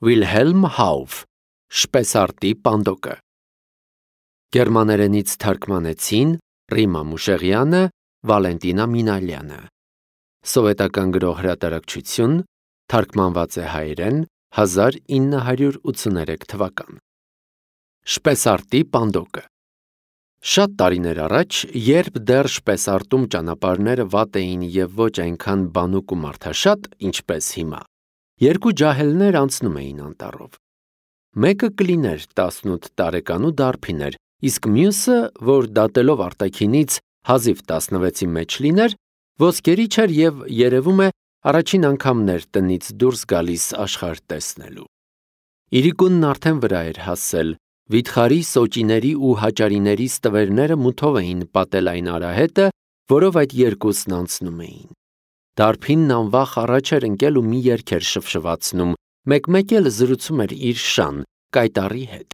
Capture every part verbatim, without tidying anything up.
Վիլհելմ Հաուֆ, Շպեսարտի պանդոկը։ Գերմաներենից թարգմանեցին Ռիմա Մուշեղյանը, Վալենտինա Մինալյանը։ Սովետական գրող հրատարակչություն, թարգմանված է հայերեն, հազար ինը հարյուր ութսուներեք թվական։ Շպեսարտի պանդոկը։ Շատ տարիներ առաջ, երբ դեռ շպեսարտում ճանապարհները վատ էին և ոչ այնքան բանուկ ու մարդաշատ, ինչպես հիմա, երկու ջահելներ անցնում էին անտառով։ Մեկը կլիներ տասնութ տարեկան ու դարբին էր, իսկ մյուսը, որ դատելով արտաքինից հազիվ տասնվեցի մեջ լիներ, ոսկերիչ էր և երևում է առաջին անգամն էր տնից դուրս գալիս աշխարհ տեսնելու։ Իրիկունն արդեն վրա էր հասել, վիթխարի, սոճիների ու հաճարիների ստվերները մութով էին պատել այն արահետը, որով այդ երկուսն անցնում էին։ Դարբինն անվախ առաջ էր ընկել ու մի երգ էր շվշվացնում, մեկ-մեկ էլ զրուցում էր իր շան, կայտառի հետ։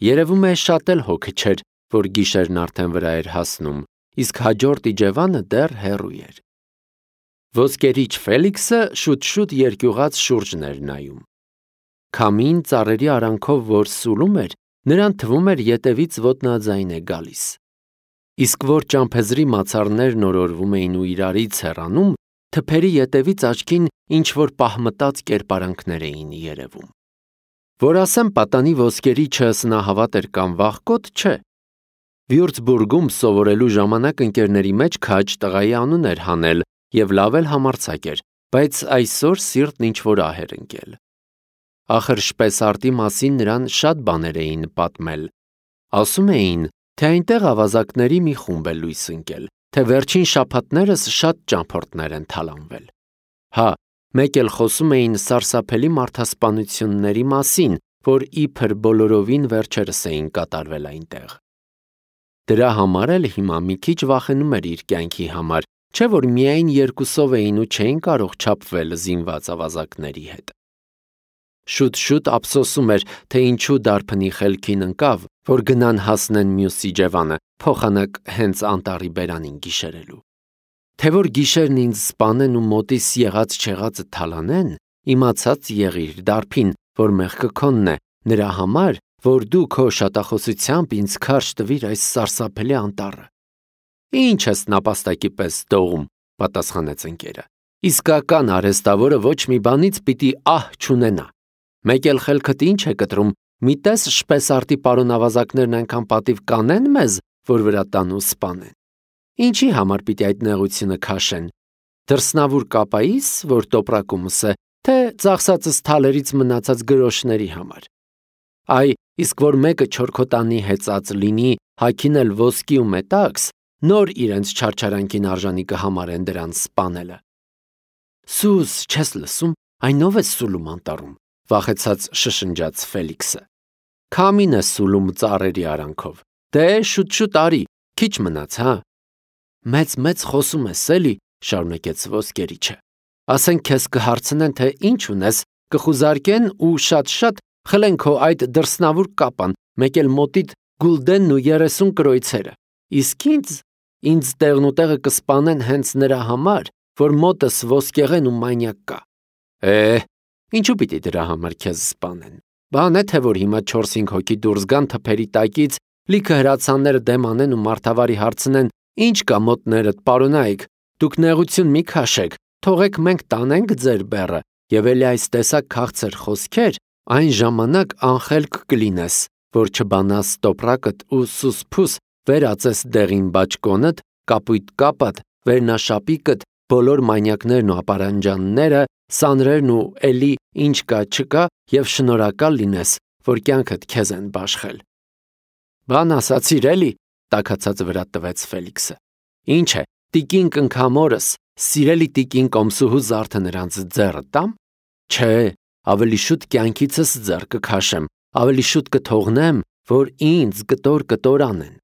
Երևում է շատ էլ հոգը չէր, որ գիշերն արդեն վրա էր հասնում, իսկ հաջորդ իջևանը դեռ հեռու էր։ Ոսկերիչ Ֆելիքսը շուտ-շուտ երկյուղած շուրջն էր նայում։ Քամին ծառերի արանքով որ սուլում էր, նրան թվում էր ետևից ոտնաձայն է գալիս։ Իսկ որ ճամփեզրի մացառներն օրորվում էին ու իրարից հեռանում, թփերի ետևից աչքին ինչ-որ պահմտած կերպարանքներ էին երևում։ Որ ասեմ պատանի ոսկերիչը սնահավատ էր կամ վախկոտ, չէ։ Վյուրցբուրգում սովորելու ժամանակ ընկերների մեջ քաջ տղայի անուն էր հանել և լավ էլ համարձակ էր, բայց այսօր սիրտն ինչ-որ ահ էր ընկել։ Ախր շպեսարտի մասին նրան շատ բաներ էին պատմել։ Ասում էին, թե այնտեղ ավազակների մի խումբ է լույս ընկել, թե վերջին շաբաթներս շատ ճամփորդներ են թալանվել։ Հա, մեկ էլ խոսում էին սարսափելի մարդասպանությունների մասին, որ իբր բոլորովին վերջերս էին կատարվել այնտեղ։ Դրա համար էլ հիմա մի քիչ վախենում էր իր կյանքի համար, չէ՞ որ միայն երկուսով էին ու չէին կարող չափվել զինված ավազակների հետ։ Շուտ-շուտ ափսոսում էր, թե ինչու դարբնի խելքին ընկավ, որ գնան հասնեն մյուս իջևանը, փոխանակ հենց անտառի բերանին գիշերելու։ Թե որ գիշերն ինձ սպանեն ու մոտիս եղած-չեղածը թալանեն, իմացած եղիր, դարբին, որ մեղքը քոնն է, նրա համար, որ դու քո շատախոսությամբ ինձ քարշ տվիր այս սարսափելի անտառը։ Ինչ ես նապաստակի պես դողում, պատասխանեց ընկերը։ Իսկական արհեստավորը ոչ մի բանից պիտի ահ չունենա։ Մեկ էլ խելքդ ինչ է կտրում, մի տես շպեսարտի պարոն ավազակներն այնքան պատիվ կանեն մեզ, որ վրա տան ու սպանեն։ Ինչի համար պիտի այդ նեղությունը քաշեն։ Դրսնավուր կապայիս, որ տոպրակումս է, թե ծախսածս թալերից մնացած գրոշների համար։ Այ, իսկ որ մեկը չորքոտանի հեծած լինի, հագին էլ ոսկի ու մետաքս, նոր իրենց չարչարանքին արժանի կհամարեն դրան սպանելը։ Սուս, չես լսում, այնով է սուլում անտառում, վախեցած շշնջաց Ֆելիքսը։ Քամին է սուլում ծառերի արանքով։ Դե շուտ-շուտ արի, քիչ մնաց, հա։ Մեծ-մեծ խոսում ես, էլի, շարունակեց ոսկերիչը։ Ասենք քեզ կհարցնեն, թե ինչ ունես, կխուզարկեն ու շատ-շատ խլեն քո այդ դրսնավուր կապան, մեկ էլ մոտիդ գուլդենն ու երեսուն կրոյցերը։ Իսկ ինձ, ինձ տեղնուտեղը կսպանեն հենց նրա համար, որ մոտս ոսկեղեն ու մանյակ կա։ Է, ինչու պիտի դրա համար քեզ սպանեն։ Բան է, թե որ հիմա չորս-հինգ հոգի դուրս գան թփերի տակից, լիքը հրացանները դեմ անեն ու մարդավարի հարցնեն, ինչ կա մոտներդ, պարոնայք, դուք նեղություն մի քաշեք, թողեք մենք տանենք ձեր բեռը, եւ էլի այս տեսակ քաղցր խոսքեր, այն ժամանակ անխելք կլինես, որ չբանաս տոպրակդ ու սուսփուս վերածես դեղին բաճկոնդ, կապույտ կապդ, վերնաշապիկդ, բոլոր մանյակներն ու ապարանջանները, սանրերն ու էլի ինչ կա չկա եւ շնորհակալ լինես, որ կյանքդ քեզ են բաշխել։ Բան ասացիր էլի, տաքացած վրա տվեց Ֆելիքսը։ Ինչ է, տիկին կնքամորս, սիրելի տիկին կոմսուհու զարդը նրանց ձեռը տամ։ Չէ, ավելի շուտ կյանքիցս ձեռ կքաշեմ, ավելի շուտ կթողնեմ, որ ինձ կտոր-կտոր անեն։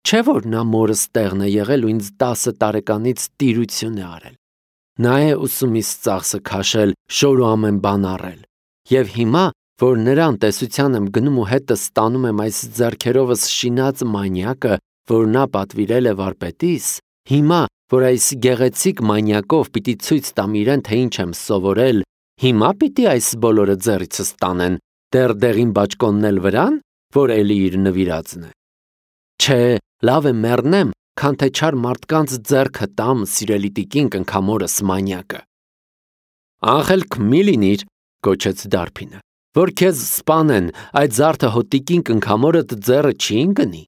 Չէ որ նա մորս տեղն է եղել ու ինձ տասը տարեկանից տիրություն է արել։ Նա է ուսումից ծախսը քաշել, շոր ու ամեն բան առել։ Եվ հիմա, որ նրան տեսության եմ գնում ու հետս ստանում եմ այս ձեռքերովս շինած մանյակը, որ նա պատվիրել է վարպետիս, հիմա, որ այս գեղեցիկ մանյակով պիտի ցույց տամ իրեն, թե ինչ եմ սովորել, Հիմա պիտի այս բոլորը ձեռիցս տանեն, դեռ դեղին բաճկոնն էլ վրան, որ էլի իր նվիրածն է։ Չէ, լավ է մեռնեմ, քան թե չար մարդկանց ձեռքը տամ սիրելի տիկին կնքամորս մանյակը։ Անխելք մի լինիր, կոչեց Դարբինը, որ քեզ սպանեն, այդ զարդը հո տիկին կնքամորդ ձեռը չի ընկնի։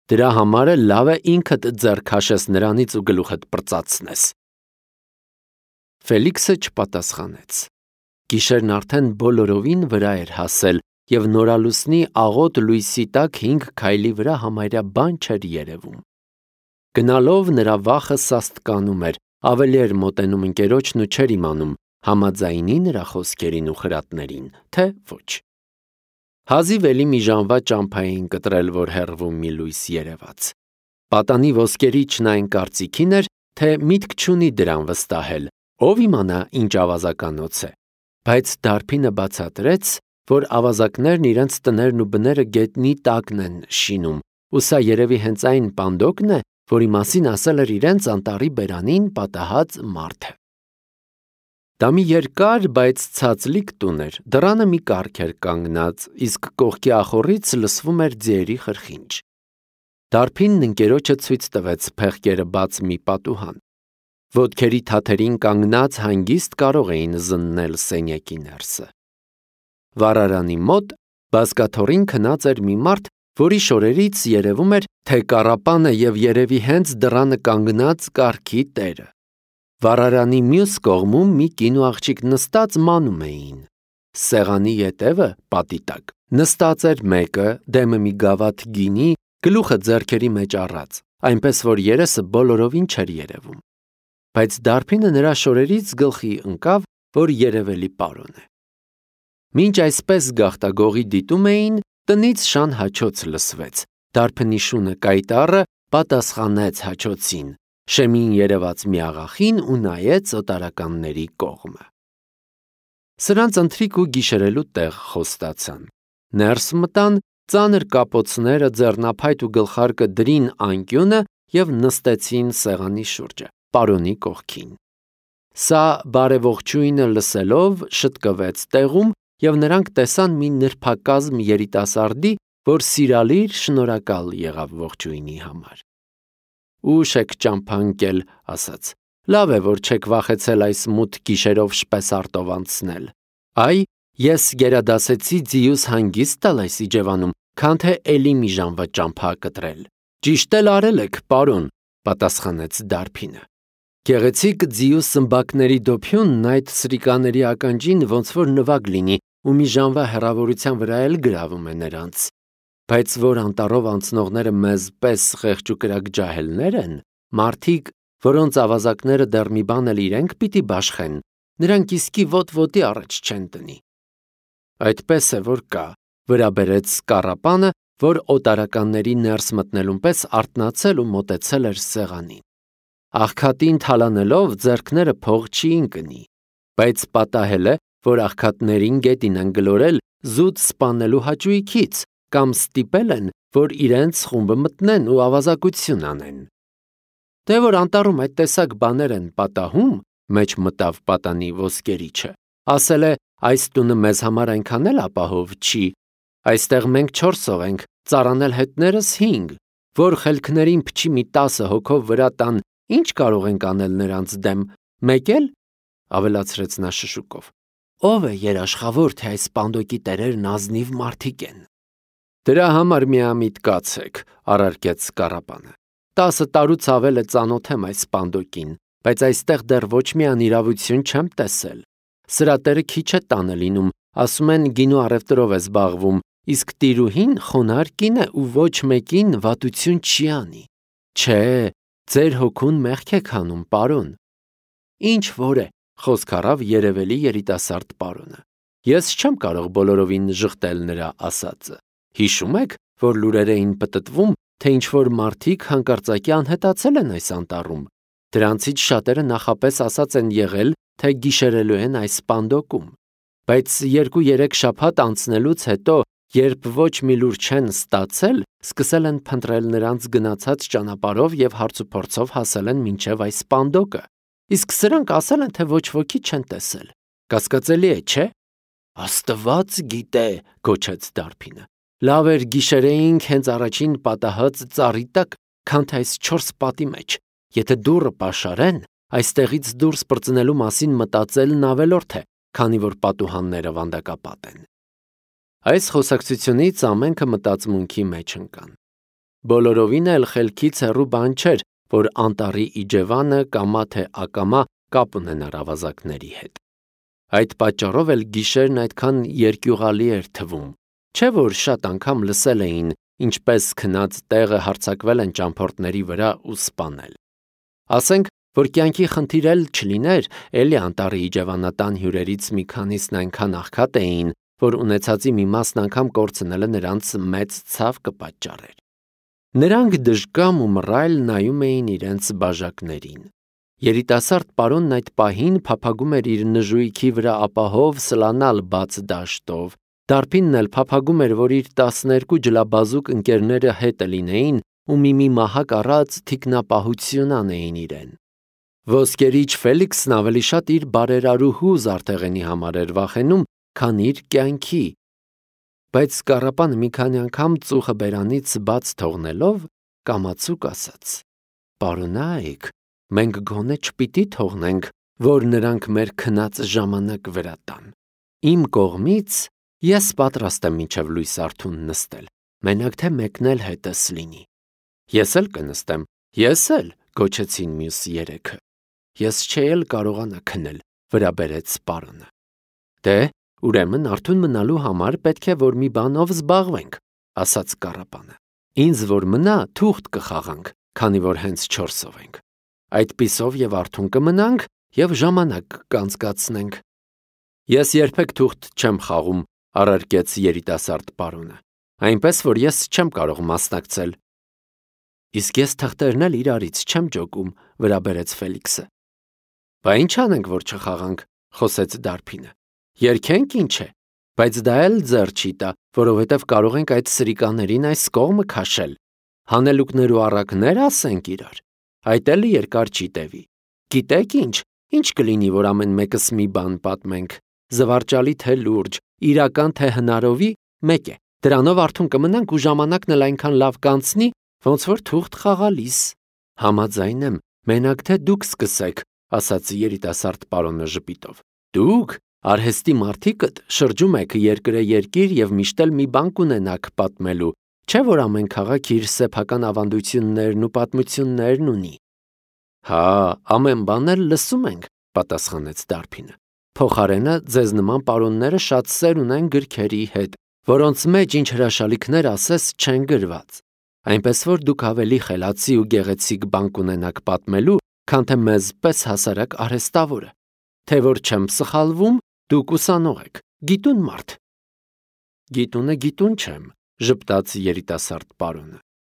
Դրա համար է լավ է ինքդ ձեռ քաշես նրանից ու գլուխդ պրծացնես։ Ֆելիքսը չպատասխանեց։ Գիշերն արդեն բոլորովին վրա էր հասել, և նորալուսնի աղոտ լույսի տակ հինգ քայլի վրա համարյա բան չէր երևում։ Գնալով նրա վախը սաստկանում էր, ավելի էր մոտենում ընկերոջն ու չէր իմանում, համաձայնի նրա խոսքերին ու խրատներին, թե ոչ։ Հազիվ էլի մի ժամվա ճամփա էին կտրել, որ հեռվում մի լույս երևաց։ Պատանի ոսկերիչն այն կարծիքին էր, թե միտք չունի դրան վստահել, ով իմանա ինչ ավազականոց է, բայց Դարբինը բացատրեց, որ ավազակներն իրենց տներն ու բները գետնի տակն են շինում, ու սա երևի հենց այն պանդոկն է, որի մասին ասել էր իրենց անտառի բերանին պատահած մարդը։ Դա մի երկար, բայց ցածլիկ տուն էր, դռանը մի կառք էր կանգնած, իսկ կողքի ախոռից լսվում էր ձիերի խրխինջ։ Դարբինն ընկերոջը ցույց տվեց փեղկերը բաց մի պատուհան։ Ոտքերի թաթերին կանգնած հանգիստ կարող էին զննել սենյակի ներսը։ Վառարանի մոտ բազկաթոռին քնած էր մի մարդ, որի շորերից երևում էր, թե կառապանը և երևի հենց դռանը կանգնած կառքի տերը։ Վառարանի մյուս կողմում մի կին ու աղջիկ նստած մանում էին։ Սեղանի ետևը, պատի տակ, նստած էր մեկը, դեմը մի գավաթ գինի, գլուխը ձեռքերի մեջ առած, այնպես որ երեսը բոլորովին չէր երևում։ Բայց Դարբինը նրա շորերից գլխի ընկավ, որ երևելի պարոն է։ Մինչ այսպես գաղտագողի դիտում էին, տնից շան հաչոց լսվեց։ Դարբնի շունը կայտառը պատասխանեց հաչոցին, շեմին երևաց մի աղախին ու նայեց օտարականների կողմը։ Սրանց ընթրիք ու գիշերելու տեղ խոստացան։ Ներս մտան, ծանր կապոցները, ձեռնափայտ ու գլխարկը դրին անկյունը և նստեցին սեղանի շուրջը, պարոնի կողքին։ Սա բարեողջույնը լսելով շտկվեց տեղում, և նրանք տեսան մի նրբակազմ երիտասարդի, որ սիրալիր շնորհակալ եղավ ողջույնի համար։ Ուշ եք ճամփա ընկել, ասաց, լավ է, որ չեք վախեցել այս մութ գիշերով շպեսարտով անցնել։ Այ, ես գերադասեցի ձիուս հանգիստ տալ այս իջևանում, քան թե էլի մի ժամվա ճամփա կտրել։ Ճիշտ էլ արել եք, պարոն, պատասխանեց Դարբինը։ Գեղեցիկ ձիու սմբակների դոփյունն այդ սրիկաների ականջին ոնց որ նվագ լինի ու մի ժամվա հեռավորության վրա էլ գրավում է նրանց։ Բայց որ անտառով անցնողները մեզ պես խեղճ ու կրակ ջահելներ են, մարդիկ, որոնց ավազակները դեռ մի բան էլ իրենք պիտի բաշխեն, նրանք իսկի ոտվոտի առաջ չեն տնի։ Այդպես է, որ կա, վրա բերեց կառապանը, որ օտարականների ներս մտնելուն պես արթնացել ու մոտեցել էր սեղանին։ Աղքատին թալանելով ձեռքները փող չի ընկնի, բայց պատահել է, որ աղքատներին գետին են գլորել զուտ սպանելու հաճույքից կամ ստիպել են, որ իրենց խումբը մտնեն ու ավազակություն անեն։ Դե որ անտառում այդ տեսակ բաներ են պատահում, մեջ մտավ պատանի ոսկերիչը, ասել է, այս տունը մեզ համար այնքան էլ ապահով չի, այստեղ մենք չորսով ենք, ծառանել հետներս հինգ, որ խելքներին փչի մի տասը հոգով վրա տան, ինչ կարող ենք անել նրանց դեմ, մեկ էլ, ավելացրեց նա շշուկով, ով է երաշխավոր, թե այս պանդոկի տերերն ազնիվ մարդիկ են։ Դրա համար միամիտ կացեք, առարկեց կառապանը։ Տասը տարուց ավել է ծանոթ եմ այս պանդոկին, բայց այստեղ դեռ ոչ մի անիրավություն չեմ տեսել։ Սրա տերը քիչ է տանը լինում, ասում են գինու առևտրով է զբաղվում, իսկ տիրուհին խոնարհ կին է ու ոչ մեկին վատություն չի անի։ Չէ, ձեր հոգուն մեղք եք հանում, պարոն։ Ինչ որ է, խոսք առավ երևելի երիտասարդ պարոնը։ Ես չեմ կարող բոլորովին ժխտել նրա ասածը։ Հիշում եք, որ լուրեր էին պտտվում, թե ինչ-որ մարդիկ հանկարծակի անհետացել են այս անտառում։ Դրանցից շատերը նախապես ասած են եղել, թե գիշերելու են այս պանդոկում։ Բայց երկու-երեք շաբաթ անցնելուց հետո, երբ ոչ մի լուր չեն ստացել, սկսել են փնտրել նրանց գնացած ճանապարհով և հարցուփորձով հասել են մինչև այս պանդոկը։ Իսկ սրանք ասել են, թե ոչ ոքի չեն տեսել։ Կասկածելի է, չէ՞։ Աստված գիտե, գոչեց Դարբինը։ Լավ էր գիշերեինք հենց առաջին պատահած ծառի տակ, քան թե այս չորս պատի մեջ։ Եթե դուռը պաշարեն, այստեղից դուրս պրծնելու մասին մտածելն ավելորդ է, քանի որ պատուհանները վանդակապատ են։ Այս խոսակցությունից ամենքը մտածմունքի մեջ ընկան։ Բոլորովին էլ խելքից հեռու բան չէր, որ անտառի իջևանը կամա թե ակամա կապ ունենար ավազակների հետ։ Այդ պատճառով էլ գիշերն այդքան երկյուղալի էր թվում, չէ՞ որ շատ անգամ լսել էին, ինչպես քնած տեղը հարձակվել են ճամփորդների վրա ու սպանել։ Ասենք, որ կյանքի խնդիր էլ չլիներ, էլի անտառի իջևանատան հյուրերից մի քանիսն այնքան աղքատ էին, որ ունեցածի մի մասն անգամ կորցնելը նրանց մեծ ցավ կպատճառեր։ Նրանք դժկամ ու մռայլ նայում էին իրենց բաժակներին։ Երիտասարդ պարոնն այդ պահին փափագում էր իր նժույքի վրա ապահով սլանալ բաց դաշտով, Դարբինն էլ փափագում էր, որ իր տասներկու ջլաբազուկ ընկերները հետը լինեին ու մի-մի մահակ առած թիկնապահություն անեին իրեն։ Ոսկերիչ Ֆելիքսն ավելի շատ իր բարերարուհու Զարթեղենի համար էր վախենում, քան իր կյանքի։ Բայց Կառապանը մի քանի անգամ ծուխը բերանից բաց թողնելով կամացուկ ասաց. «Պարոնայք, մենք գոնե չպիտի թողնենք, որ նրանք մեր քնած ժամանակ վրա տան։ Իմ կողմից ես պատրաստ եմ մինչև լույս արթուն նստել, մենակ թե մեկնել հետս լինի»։ Ես էլ կնստեմ, ես էլ, գոչեցին մյուս երեքը։ Ես չէի էլ կարողանա քնել, վրա բերեց պարոնը։ Դե, ուրեմն արթուն մնալու համար պետք է որ մի բանով զբաղվենք, ասաց Կառապանը։ Ինձ որ մնա, թուղթ կխաղանք, քանի որ հենց չորսով ենք։ Այդպիսով եւ արթուն կմնանք եւ ժամանակ կանցկացնենք։ Ես երբեք թուղթ չեմ խաղում, առարկեց երիտասարդ պարոնը, այնպես որ ես չեմ կարող մասնակցել։ Իսկ ես թղթերն էլ իրարից չեմ ջոկում, վրա բերեց Ֆելիքսը։ Բա ինչ անենք, որ չխաղանք, խոսեց Դարբինը։ Երգենք ինչ է, բայց դա էլ ձեռ չի տա, որովհետև կարող ենք այդ սրիկաներին այս կողմը քաշել։ Հանելուկներ ու առակներ ասենք իրար։ Այդ էլ երկար չի տևի։ Գիտեք ինչ, ինչ կլինի, որ ամեն մեկս մի բան պատմենք։ Զվարճալի թե լուրջ, իրական թե հնարովի, մեկ է։ Դրանով արթուն կմնանք ու ժամանակն էլ այնքան լավ կանցնի, ոնց որ թուղթ խաղալիս։ Համաձայն եմ, մենակ թե դուք սկսեք, ասաց երիտասարդ պարոնը ժպիտով։ Դուք, արհեստի մարդիկդ, շրջում եք երկրե երկիր եւ միշտ էլ մի բան կունենաք պատմելու, չէ՞ որ ամեն քաղաք իր սեփական ավանդություններն ու պատմություններն ունի։ Հա, ամեն բան էլ լսում ենք, պատասխանեց Դարբինը։ Փոխարենը ձեզ նման պարոնները շատ սեր ունեն գրքերի հետ, որոնց մեջ ինչ հրաշալիքներ ասես չեն գրված։ Այնպես որ դուք ավելի խելացի ու գեղեցիկ բան կունենաք պատմելու, քան թե մեզ պես հասարակ արհեստավորը։ Թե որ չեմ սխալվում, դուք ուսանող եք, գիտուն մարդ։ Գիտունը գիտուն չեմ, ժպտաց երիտասարդ պարոնը։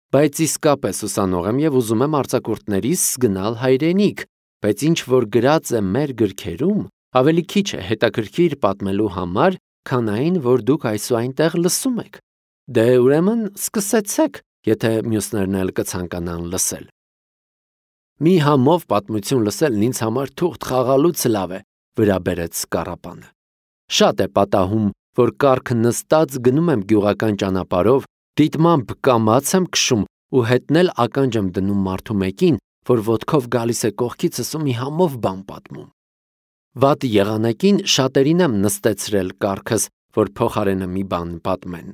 Բայց իսկապես ուսանող եմ եւ ուզում եմ արձակուրդներիս գնալ հայրենիք, բայց ինչ որ գրած է մեր գրքերում, ավելի քիչ է հետաքրքիր պատմելու համար, քան այն, որ դուք այսուայնտեղ լսում եք։ Դե ուրեմն սկսեցեք, եթե մյուսներն էլ կցանկանան լսել։ Մի համով պատմություն լսելն ինձ համար թուղթ խաղալուց լավ է, վրա բերեց Կառապանը։ Շատ է պատահում, որ կառք նստած գնում եմ գյուղական ճանապարհով, դիտմամբ կամաց եմ քշում ու հետն էլ ականջ եմ դնում մարդու մեկին, որ ոտքով գալիս է կողքիցս ու մի համով բան պատմում։ Վատ եղանակին շատերին եմ նստեցրել կառքս, որ փոխարենը մի բան պատմեն։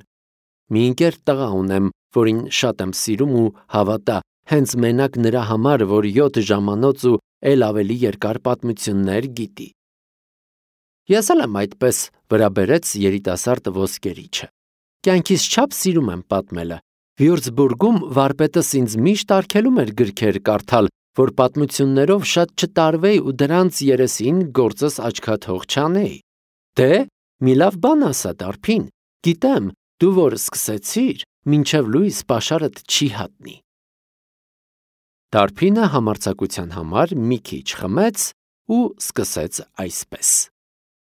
Մի ընկեր տղա ունեմ, որին շատ եմ սիրում ու հավատա, հենց մենակ նրա համար, որ յոթ ժամանոց ու էլ ավելի երկար պատմություններ գիտի։ Ես էլ եմ այդպես, վրա բերեց երիտասարդ ոսկերիչը։ Կյանքիս չափ սիրում եմ պատմելը։ Վյուրցբուրգում վարպետս ինձ միշտ արգելում էր գրքեր կարդալ, որ պատմություններով շատ չտարվեի ու դրանց երեսին գործս աչքաթող չանեի։ Դե, մի լավ բան ասա, Դարբին, գիտեմ, դու որ սկսեցիր, մինչև լույս պաշարդ չի հատնի։ Դարբինը համարձակության համար մի քիչ խմեց ու սկսեց այսպես.